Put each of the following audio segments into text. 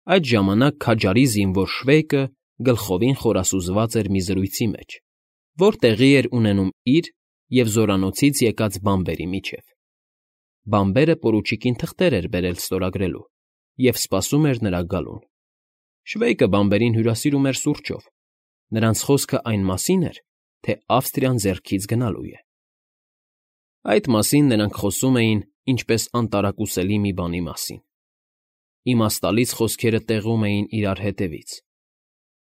Այդ ժամանակ քաջարի զինվոր Շվեյկը գլխովին խորասուզված էր մի զրույցի մեջ, որ տեղի էր ունենում իր և զորանոցից եկած բանբերի միջև։ Բանբերը պորուչիկին թղթեր էր բերել ստորագրելու և սպասում էր նրա գալուն։ Շվեյկը բանբերին հյուրասիրում էր սուրճով, նրանց խոսքը այն մասին էր, թե Ավստրիան ձեռքից գնալու է։ Այդ մասին նրանք խոսում էին ինչպես անտարակուսելի մի բանի մասին։ Իմաստալից խոսքերը տեղում էին իրար հետևից։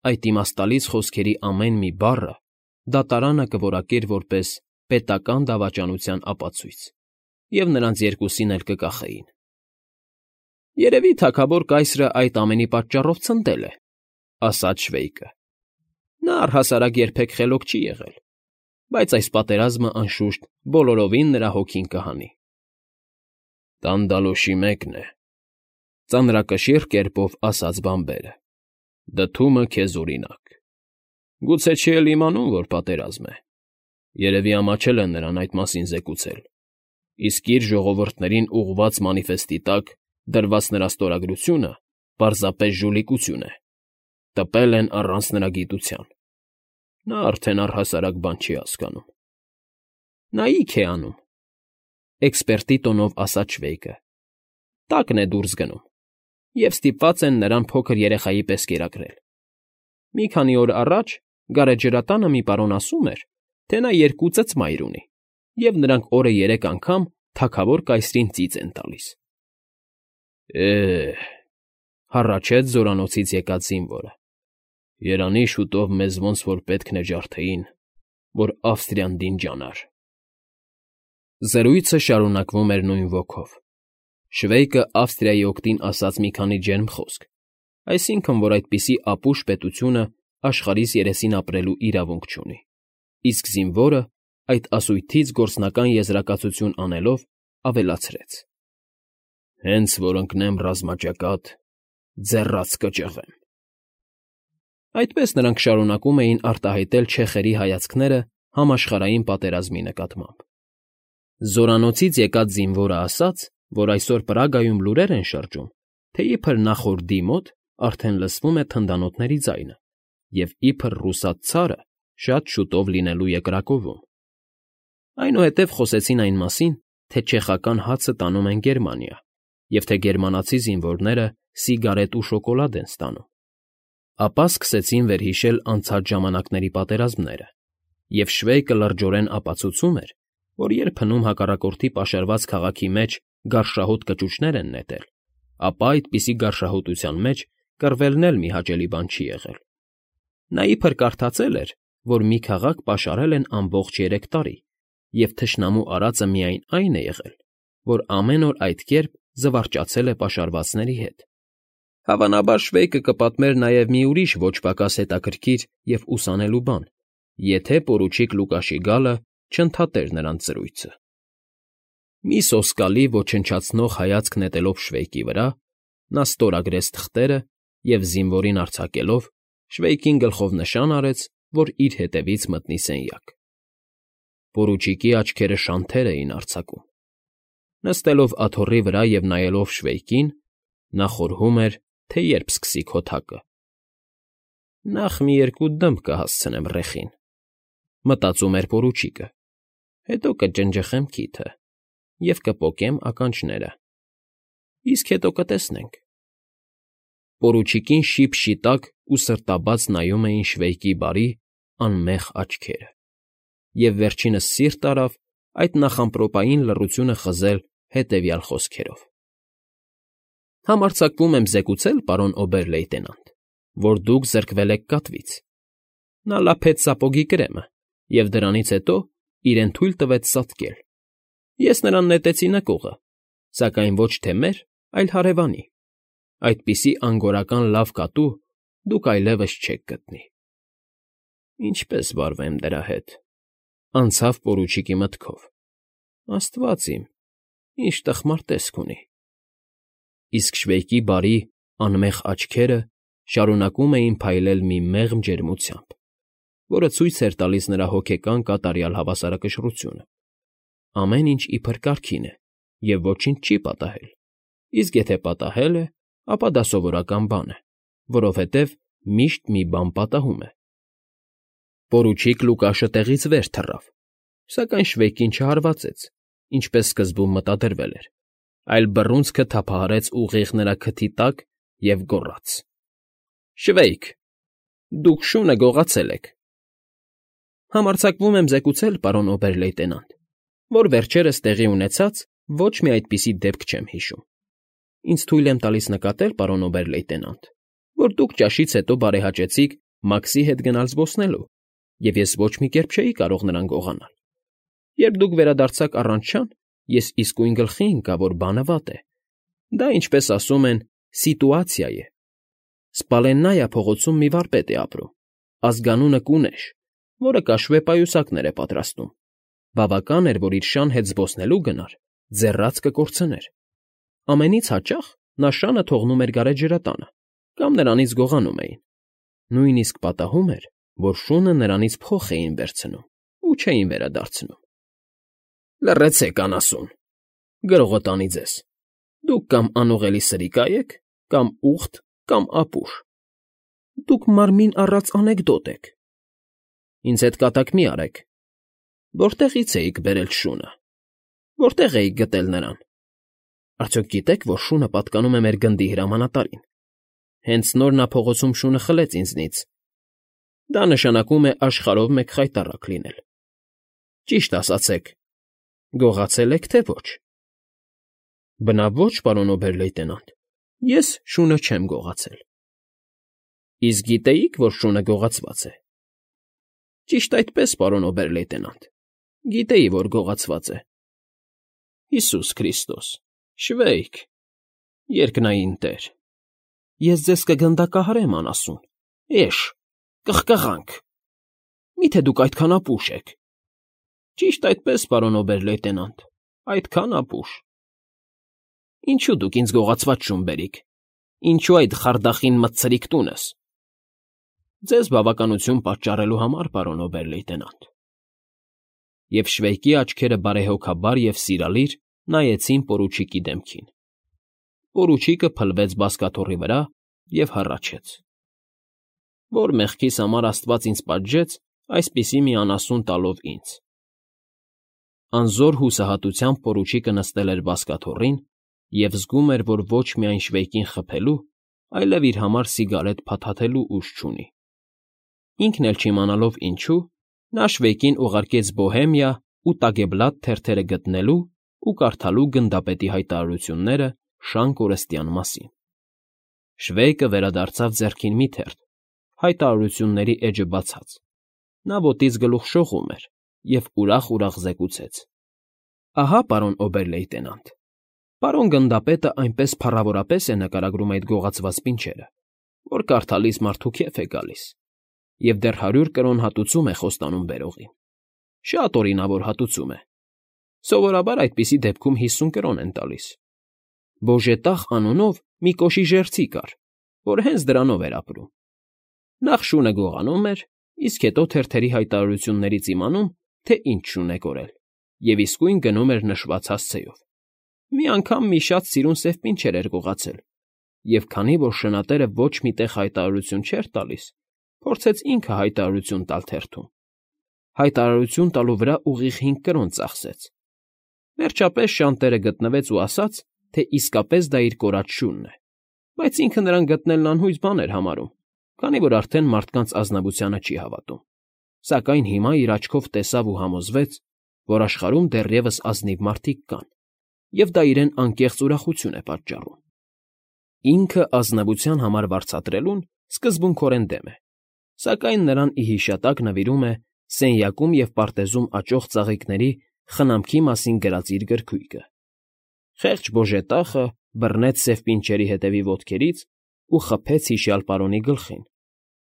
Այդ իմաստալից խոսքերի ամեն մի բառը դատարանը կորակեր որպես պետական դավաճանության ապացույց, և նրանց երկուսին էլ կկախեին։ «Երևի թագավոր կայսրը այդ ամենի պատճառով ցնդել է,֊ ասաց Շվեյկը։ Նա առհասարակ երբեք խելոք չի եղել, բայց այս պատերազմը, անշուշտ, բոլորովին նրա հոգին կհանի»։ «Տանդալոշի մեկն է,֊ ծանրակշիռ կերպով ասաց բանբերը,֊ դդումը քեզ օրինակ։ Գուցե չի էլ իմանում, որ պատերազմ է։ Երևի ամաչել են նրան այդ մասին զեկուցել, իսկ իր ժողովուրդներին ուղղված մանիֆեստի տակ դրված նրա ստորագրությունը պարզապես ժուլիկություն է, տպել են առանց նրա գիտության։ Նա արդեն առհասարակ բան չի հասկանում»։ «Նա ի՞ք է անում,֊ էքսպերտի տոնով ասաց Շվեյկը։ «Տակն է դուրս գնում, և ստիպված են նրան փոքր երեխայի պես կերակրել։ Մի քանի օր առաջ գարեջրատանը մի պարոն ասում էր, թե նա 2 ծծմայր ունի, և նրանք օրը 3 անգամ թագավոր կայսրին ծիծ են տալիս»։ «Է՜հ,֊ հառաչեց զորանոցից եկած զինվորը,֊ երանի շուտով մեզ ոնց որ պետք նջարդեին, որ Ավստրիան դինջանար»։ Զրույցը շարունակվում էր նույն ոգով։ Շվեյկը Ավստրիայի օգտին ասաց մի քանի ջերմ խոսք, այսինքն, որ այդպիսի ապուշ պետությունը աշխարհիս երեսին ապրելու իրավունք չունի, իսկ զինվորը, այդ ասույթից գործնական եզրակացություն անելով, ավելացրեց. «Հենց որ ընկնեմ ռազմաճակատ, ձեռաց կճղեմ»։ Այդպես նրանք շարունակում էին արտահայտել չեխերի հայացքները համաշխարհային պատերազմի նկատմամբ։ Զորանոցից եկած զինվորը ասաց, որ այսօր Պրագայում լուրեր են շրջում, թե իբր նախորդի մոտ արդեն լսվում է թնդանոթների ձայնը, և իբր ռուսաց ցարը շատ շուտով լինելու է Կրակովում։ Այնուհետև խոսեցին այն մասին, թե չեխական հացը տանում են Գերմանիա, և թե գերմանացի զինվորները սիգարետ ու շոկոլադ են ստանում։ Ապա սկսեցին վերհիշել անցած ժամանակների պատերազմները, և Շվեյկը լրջորեն ապացուցում էր, որ երբնում հակառակորդի պաշարված քաղաքի մեջ գարշահոտ կճուճներ են նետել, ապա այդպիսի գարշահոտության մեջ կռվելն էլ մի հաճելի բան չի եղել։ Նա իբր կարդացել էր, որ մի քաղաք պաշարել են ամբողջ 3 տարի, և թշնամու արածը միայն այն է եղել, որ ամեն օր այդ կերպ զվարճացել է պաշարվածների հետ։ Հավանաբար Շվեյկը կպատմեր նաև մի ուրիշ ոչ պակաս հետաքրքիր և ուսանելու բան, եթե պորուչիկ Լուկաշի գալը չընդհատեր նրանց զրույցը։ Մի սոսկալի ոչնչացնող հայացք նետելով Շվեյկի վրա, նա ստորագրեց թղթերը և, զինվորին արձակելով, Շվեյկին գլխով նշան արեց, որ իր հետևից մտնի սենյակ։ Պորուչիկի աչքերը շանթեր էին արձակում։ Նստելով աթոռի վրա և նայելով Շվեյկին, նա խորհում էր, թե երբ սկսի քոթակը։ «Նախ մի 2 դմբ կհասցնեմ ռեխին,֊ մտածում էր պորուչիկը,֊ հետո կջնջխեմ քիթը և կպոկեմ ականջները, իսկ հետո կտեսնենք»։ Պորուչիկին շիփ֊շիտակ ու սրտաբաց նայում էին Շվեյկի բարի, անմեղ աչքերը, և վերջինս սիրտ արավ այդ նախամպրոպային լռությունը խզել հետևյալ խոսքերով. «Համարձակվում եմ զեկուցել, պարոն օբեր֊լեյտենանտ, որ դուք զրկվել եք կատվից»։ Նա լափեց սապոգի կրեմը և դրանից հետո իրեն թույլ տվեց ծածկել։ Ես նրան նետեցի նկուղը, սակայն ոչ թե մեր, այլ հարևանի։ Այդպիսի անգորական լավ կատու դուք այլևս չեք գտնի։ «Ինչպե՞ս վարվեմ դրա հետ,֊ անցավ պորուչիկի մտքով։ Աստված իմ, ինչ տխմար տեսք ունի»։ Իսկ Շվեյկի բարի, անմեղ աչքերը շարունակում էին փայլել մի մեղմ ջերմությամբ, որը ցույց էր տալիս նրա հոգեկան կատարյալ հավասարակշռությունը։ Ամեն ինչ իբր կարգին է և ոչինչ չի պատահել, իսկ եթե պատահել է, ապա դա սովորական բան է, որովհետև միշտ մի բան պատահում է։ Պորուչիկ Լուկաշը տեղից վեր թռավ, սակայն Շվեյկին չհարվածեց, ինչպես սկզբում մտադրվել էր, այլ բռունցքը թափահարեց ուղիղ նրա քթի տակ և գոռաց. «Շվեյք, դուք շունը գողացել եք»։ Համարձակվում եմ զեկուցել, պարոն օբեր֊լեյտենանտ, որ վերջերս տեղի ունեցած ոչ մի այդպիսի դեպք չեմ հիշում։ Ինձ թույլ եմ տալիս նկատել, պարոն օբեր֊լեյտենանտ, որ դուք ճաշից հետո բարեհաճեցիք Մաքսի հետ գնալ զբոսնելու, և ես ոչ մի կերպ չէի կարող նրան գողանալ։ Երբ դուք վերադարձաք առանց շան, ես իսկույն գլխի ընկա, որ բանը վատ է։ Դա, ինչպես ասում են, սիտուացիա է։ Սպալեննայա փողոցում մի վարպետ է ապրում, ազգանունը Կունեշ, որը կաշվե պայուսակներ է պատրաստում։ Բավական էր, որ իր շան հետ զբոսնելու գնար, ձեռաց կկորցներ։ Ամենից հաճախ նա շանը թողնում էր գարեջրատանը կամ նրանից գողանում էին։ Նույնիսկ պատահում էր, որ շունը նրանից փոխ էին վերցնում ու չէին վերադարձնում։ Լռեցեք, անասուն, գրողոտանի ձեզ։ Դուք կամ անուղելի սրիկա եք, կամ ուղտ, կամ ապուշ։ Դուք մարմին առած անեկդոտ եք։ Ինձ հետ կատակ մի արեք։ Որտեղից էիք բերել շունը։ Որտեղ էիք գտել նրան։ Արդյոք գիտեք, որ շունը պատկանում է մեր գնդի հրամանատարին։ Հենց նոր նա փողոցում շունը խլեց ինձնից։ Դա նշանակում է աշխարհով մեկ խայտառակ լինել։ Ճիշտ ասացեք, գողացել եք, թե ոչ։ Բնավ ոչ, պարոն օբեր֊լեյտենանտ, ես շունը չեմ գողացել։ Իսկ գիտեիք, որ շունը գողացված է։ Ճիշտ այդպես, պարոն օբեր֊լեյտենանտ, գիտեի, որ գողացված է։ Հիսուս Քրիստոս, Շվեյք, երկնային Տեր, ես ձեզ կգնդակահարեմ, անասուն, էշ, կխկղանք։ Մի՞թե դուք այդքան ապուշ եք։ Ճիշտ այդպես, պարոն օբեր֊լեյտենանտ, այդքան ապուշ։ Ինչու դուք ինձ գողացված շուն բերիք։ Ինչու այդ խարդախին մտցրիք տունս։ Ձեզ բավականություն պատճառելու համար, պարոն օբեր֊լեյտենանտ։ Եվ Շվեյկի աչքերը բարեհոգաբար և սիրալիր նայեցին պորուչիկի դեմքին։ Պորուչիկը փլվեց բազկաթոռի վրա և հառաչեց. Որ մեղքիս համար Աստված ինձ պատժեց այսպիսի մի անասուն տալով ինձ։ Անզոր հուսահատությամբ պորուչիկը նստել էր բազկաթոռին և զգում էր, որ ոչ միայն Շվեյկին խփելու, այլև իր համար սիգարետ փաթաթելու ուժ չունի։ Ինքն էլ չիմանալով ինչու, նա Շվեյկին ուղարկեց Բոհեմիա ու Տագեբլատ թերթերը գտնելու ու կարդալու գնդապետի հայտարարությունները Շան կորստյան մասին։ Շվեյկը վերադարձավ ձեռքին մի թերթ, հայտարարությունների էջը բացած։ Նա ոտից գլուխ շողում էր և ուրախ զեկուցեց. Ահա, պարոն օբեր֊լեյտենանտ, պարոն գնդապետը այնպես փառավորապես է նկարագրում այդ գողացված պինչերը, որ կարդալիս մարդու քեֆ է գալիս, և դեռ 100 կրոն հատուցում է խոստանում բերողին։ Շատ օրինավոր հատուցում է։ Սովորաբար այդպիսի դեպքում 50 կրոն են տալիս։ Բոժետախ անունով մի կոշիժերցի կար, որ հենց դրանով էր ապրում։ Նախ շունը գողանում էր, իսկ հետո թերթերի հայտարարություններից իմանում, թե ինչ շուն է կորել, և իսկույն գնում էր նշված հասցեով։ Մի անգամ մի շատ սիրուն սև պինչեր էր գողացել, և քանի որ շնատերը ոչ մի տեղ հայտարարություն չէր տալիս, փորձեց ինքը հայտարարություն տալ թերթում։ Հայտարարություն տալու վրա ուղիղ 5 կրոն ծախսեց։ Վերջապես շան տերը գտնվեց ու ասաց, թե իսկապես դա իր կորած շունն է, բայց ինքը նրան գտնելն անհույս բան էր համարում, քանի որ արդեն մարդկանց ազնվությանը չի հավատում, սակայն հիմա իր աչքով տեսավ ու համոզվեց, որ աշխարհում դեռևս ազնիվ մարդիկ կան, և դա իրեն անկեղծ ուրախություն է պատճառում։ Ինքը ազնվության համար վարձատրելուն սկզբունքորեն դեմ է, սակայն նրան ի հիշատակ նվիրում է սենյակում և պարտեզում աճող ծաղիկների խնամքի մասին գրած իր գրքույկը։ Խեղճ բոժետախը բռնեց սև պինչերի հետևի ոտքերից ու խփեց հիշյալ պարոնի գլխին,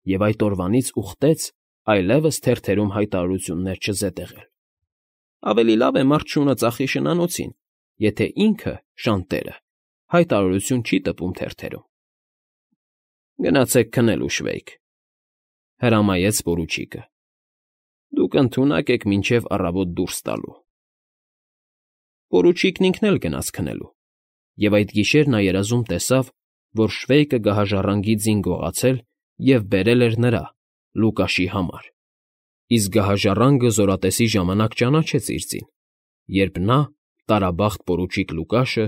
և այդ օրվանից ուխտեց այլևս թերթերում հայտարարություններ չզետեղել։ Ավելի լավ է մարդ շունը ծախի շնանոցին, եթե ինքը, շանտերը, հայտարարություն չի տպում թերթերում։ Գնացեք քնելու, Շվեյք, հրամայեց պորուչիկը։ Դուք ընդունակ եք մինչև առավոտ դուրս տալու։ Պորուչիկն ինքն էլ գնաց քնելու, և այդ գիշեր նա երազում տեսավ, որ Շվեյկը գահաժառանգի ձին գողացել և բերել էր նրա՝ Լուկաշի համար, իսկ գահաժառանգը զորատեսի ժամանակ ճանաչեց իր ձին, երբ նա՝ տարաբախտ պորուչիկ Լուկաշը,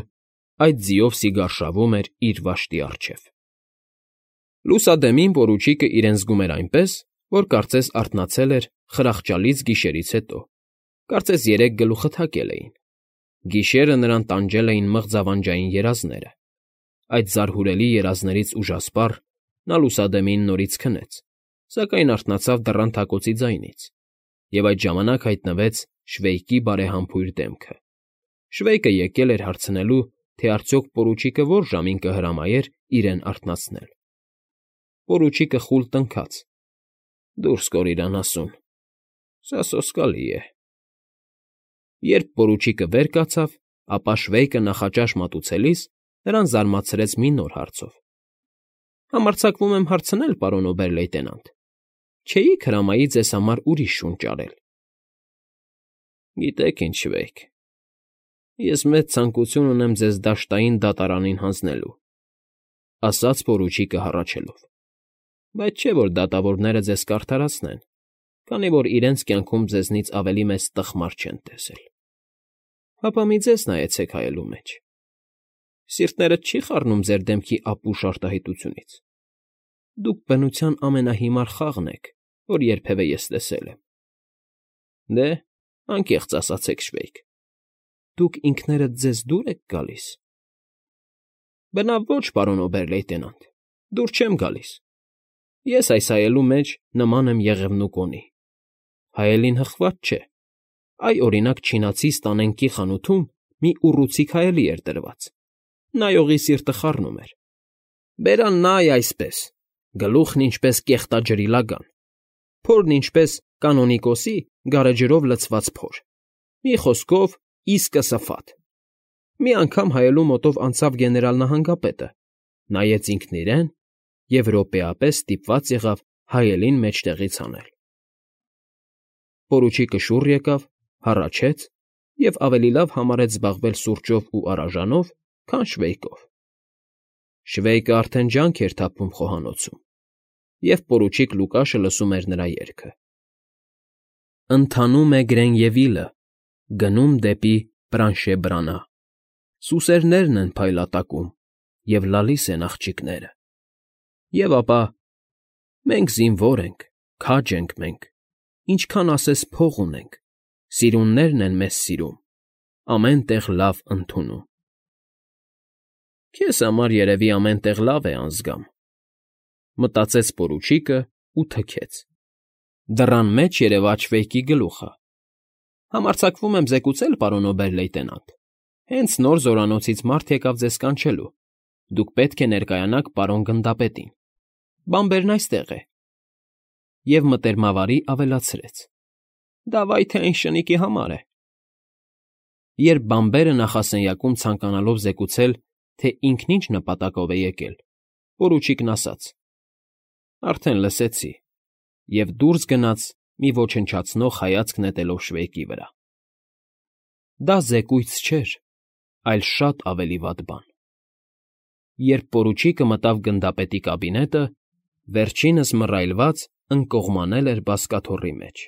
այդ ձիով սիգարշավում էր իր վաշտի առջև։ Լուսադեմին պորուչիկը իրեն զգում էր այնպես, որ կարծես արթնացել էր խրախճալից գիշերից հետո, կարծես 3 գլուխը թակել էին։ Գիշերը նրան տանջել էին մղձավանջային երազները։ Այդ զարհուրելի երազներից ուժասպառ նա լուսադեմին նորից քնեց, սակայն արթնացավ դռան թակոցի ձայնից, և այդ ժամանակ հայտնվեց Շվեյկի բարեհամբույր դեմքը։ Շվեյկը եկել էր հարցնելու, թե արդյոք պորուչիկը որ ժամին կհրամայեր իրեն արթնացնել։ Պորուչիկը խուլ տնքաց. «Դուրս կոր իրանասուն, սա սոսկալի է»։ Երբ պորուչիկը վեր կացավ, ապա Շվեյկը նախաճաշ մատուցելիս նրան զարմացրեց մի նոր հարցով. «Համարձակվում եմ հարցնել, պարոն օբեր֊լեյտենանտ, չէի՞ք հրամայի ձեզ համար ուրիշ շուն ճարել»։ «Գիտեք ինչ, Շվեյկ, ես մեծ ցանկություն ունեմ ձեզ դաշտային դատարանին հանձնելու», ասաց պորուչիկը հառաչելով, «բայց չէ՞ որ դատավորները ձեզ կարդարացնեն, քանի որ իրենց կյանքում ձեզնից ավելի մեծ տխմար չեն տեսել։ Հապա մի ձեզ նայեցեք հայելու մեջ. սիրտներդ չի խառնում ձեր դեմքի ապուշ արտահայտությունից։ Դուք բնության ամենահիմար խաղն եք, որ երբևէ ես տեսել եմ։ Դե, անկեղծ ասացեք, Շվեյկ, դուք ինքներդ ձեզ դուր եք գալիս։ Բնավ ոչ, պարոն օբեր֊լեյտենանտ, դուր չեմ գալիս։ Ես այս հայելու մեջ նման եմ Եղևնու կոնի։ Հայելին հղկված չէ։ Այ, օրինակ, չինացի ստանենկի խանութում մի ուռուցիկ հայելի էր դրված։ Նայողի սիրտը խառնում էր։ Բերան նայ այսպես, գլուխն ինչպես կեղտաջրի լագան, փորն ինչպես կանոնիկոսի գարեջրով լցված փոր։ Մի խոսքով, իսկը սփաթ։ Մի անգամ հայելու մոտով անցավ գեներալ նահանգապետը, նայեց ինքն իրեն և րոպեապես ստիպված եղավ հայելին մեջտեղից հանել։ Պորուչիկը շուռ եկավ, հառաչեց և ավելի լավ համարեց զբաղվել սուրճով ու արաժանով, քան Շվեյկով։ Շվեյկը արդեն ջանք էր թափում խոհանոցում, և պորուչիկ Լուկաշը լսում էր նրա երգը. Ընթանում է Գրենևիլը, գնում դեպի Պրանշեբրանա, սուսերներն են փայլատակում, և լալիս են աղջիկները։ Եվ ապա. մենք զինվոր ենք, քաջ ենք մենք, ինչքան ասես փող ունենք, սիրուններն են մեզ սիրում, ամեն տեղ լավ ընդունում։ Քեզ համար երևի ամեն տեղ լավ է անզգամ, մտածեց պորուչիկը ու թքեց։ Դռան մեջ երևաց Շվեյկի գլուխը։ Համարձակվում եմ զեկուցել, պարոն օբեր֊լեյտենանտ, հենց նոր զորանոցից մարդ եկավ ձեզ կանչելու։ Դուք պետք է ներկայանաք պարոն գնդապետին։ Բանբերն այստեղ է։ Եվ մտերմավարի ավելացրեց. դա վայ թե այն շնիկի համար է։ Երբ բանբերը նախասենյակում ցանկանալով զեկուցել, թե ինքն ինչ նպատակով է եկել, պորուչիկն ասաց. արդեն լսեցի, և դուրս գնաց մի ոչնչացնող հայացք նետելով Շվեյկի վրա։ Դա զեկույց չէր, այլ շատ ավելի վատ բան։ Երբ պորուչիկը մտավ գնդապետի կաբինետը, վերջինս մռայլված ընկողմանել էր բազկաթոռի մեջ։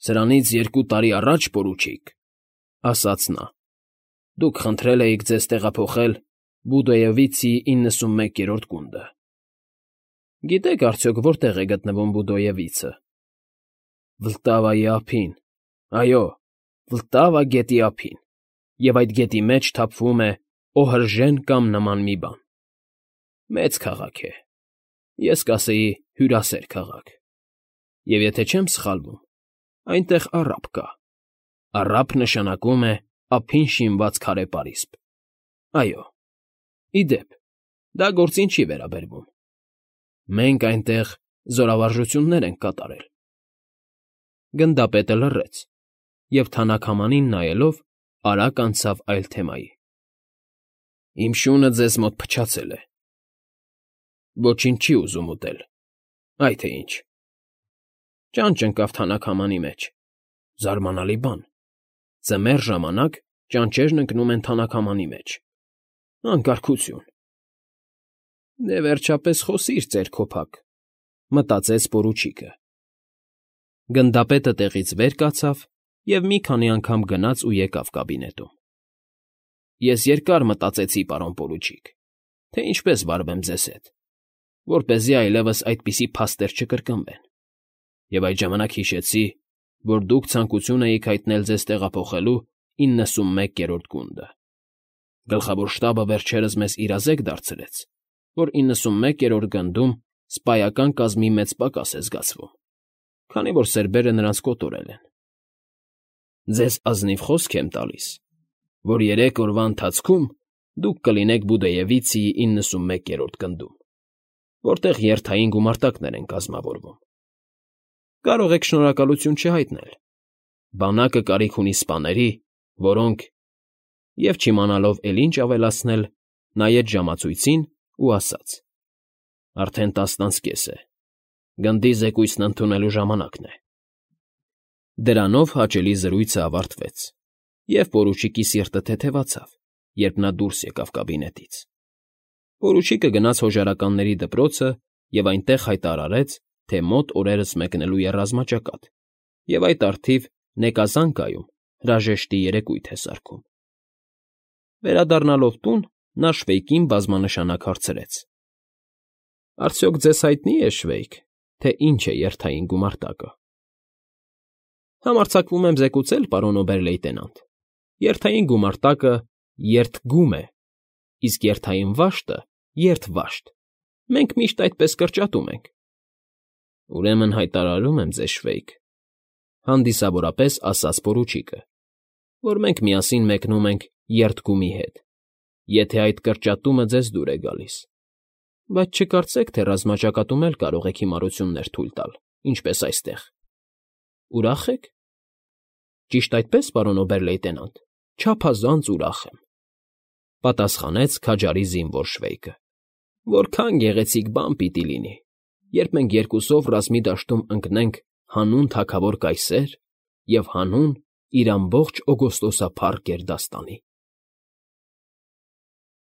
Սրանից 2 տարի առաջ, պորուչիկ, ասաց նա, դուք խնդրել էիք ձեզ տեղափոխել Բուդոևիցի 91-րդ գունդը։ Գիտեք արդյոք որտեղ է գտնվում Բուդոևիցը։ Վլտավայի ափին, այո, Վլտավա գետի ափին, և այդ գետի մեջ թափվում է Օհրժեն կամ նման մի բան։ Մեծ քաղաք է, ես կասեի հյուրասեր քաղաք, և եթե չեմ սխալվում, այնտեղ առափ կա։ Առափ նշանակում է ափին շինված քարե պարիսպ։ Այո, ի դեպ, դա գործին չի վերաբերվում։ Մենք այնտեղ զորավարժություններ ենք կատարել։ Գնդապետը լռեց և թանաքամանին նայելով արագ անցավ այլ թեմայի։ Իմ շունը ձեզ մոտ փչացել է։ Ոչինչ չի ուզում ուտել, այ թե ինչ։ Ճանճ ընկավ թանաքամանի մեջ, զարմանալի բան։ Ձմեռ ժամանակ ճանճերն ընկնում են թանաքամանի մեջ։ Անկարգություն։ Դե վերջապես խոսիր, ծերքոփակ, մտածեց պորուչիկը։ Գնդապետը տեղից վեր կացավ և մի քանի անգամ գնաց ու եկավ կաբինետում։ Ես երկար մտածեցի, պարոն պորուչիկ, թե ինչպես վարվեմ ձեզ հետ, որպեսզի այլևս այդպիսի փաստեր չկրկնվեն, և այդ ժամանակ հիշեցի, որ դուք ցանկություն էիք հայտնել ձեզ տեղափոխելու 91-րդ գունդը։ Գլխավոր շտաբը վերջերս մեզ իրազեկ դարձրեց, որ 91-րդ գնդում սպայական կազմի մեծ պակաս է զգացվում, քանի որ սերբերը նրանց կոտորել են։ Ձեզ ազնիվ խոսք եմ տալիս, որ 3 օրվա ընթացքում դուք կլինեք Բուդեևիցիի 91-րդ գնդում, որտեղ երթային գումարտակներ են կազմավորվում։ Կարող եք շնորհակալություն չհայտնել։ Բանակը կարիք ունի սպաների, որոնք… Եվ չիմանալով էլ ինչ ավելացնել, նայեց ժամացույցին ու ասաց. Արդեն 10:30 է, գնդի զեկույցն ընդունելու ժամանակն է։ Դրանով հաճելի զրույցը ավարտվեց, և պորուչիկի սիրտը թեթևացավ, երբ նա դուրս եկավ կաբինետից։ Պորուչիկը գնաց հոժարականների դպրոցը և այնտեղ հայտարարեց, թե մոտ օրերս մեկնելու է ռազմաճակատ, և այդ առթիվ Նեկազանկայում հրաժեշտի երեկույթ է սարքում։ Վերադառնալով տուն, նա Շվեյկին բազմանշանակ հարցրեց. Արդյոք ձեզ հայտնի է, Շվեյկ, թե ինչ է երթային գումարտակը։ Համարձակվում եմ զեկուցել, պարոն օբեր֊լեյտենանտ, երթային գումարտակը երթգում է, իսկ երթային վաշտը երթվաշտ։ Մենք միշտ այդպես կրճատում ենք։ Ուրեմն հայտարարում եմ ձեզ, Շվեյկ, հանդիսավորապես ասաց պորուչիկը, որ մենք միասին մեկնում ենք երթգումի հետ, եթե այդ կրճատումը ձեզ դուր է գալիս, բայց չկարծեք, թե ռազմաճակատում էլ կարող եք հիմարություններ թույլ տալ, ինչպես այստեղ։ Ուրախ եք։ Ճիշտ այդպես, պարոն օբեր֊լեյտենանտ, չափազանց ուրախ եմ, պատասխանեց քաջարի զինվոր Շվեյկը։ Որքան գեղեցիկ բան պիտի լինի, երբ մենք երկուսով ռազմի դաշտում ընկնենք հանուն թագավոր կայսեր և հանուն իր ամբողջ օգոստոսափառ գերդաստանի։